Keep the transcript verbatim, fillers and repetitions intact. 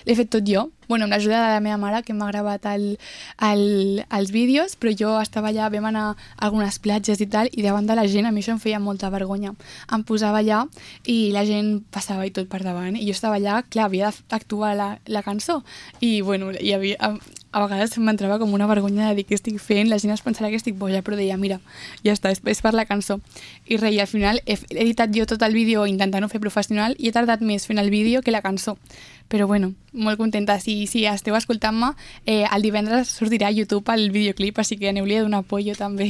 l'he fet tot jo, bueno, amb l'ajuda de la meva mare, que m'ha gravat el, el, els vídeos, però jo estava allà, vam anar a algunes platges i tal, i davant de la gent a mi això em feia molta vergonya. Em posava allà i la gent passava i tot per davant, i jo estava allà, clar, havia d'actuar la, la cançó, i bueno, hi havia, a, a vegades m'entrava com una vergonya de dir què estic fent, la gent es pensarà que estic boja, però deia, mira, ja està, és, és per la cançó. I res, i al final he, he editat jo tot el vídeo intentant-ho fer professional i he tardat més fent el vídeo que la cançó. Però bueno, molt contenta. Si, si esteu escoltant-me, eh, el divendres sortirà a YouTube el videoclip, així que aneu-li a donar apoyo també.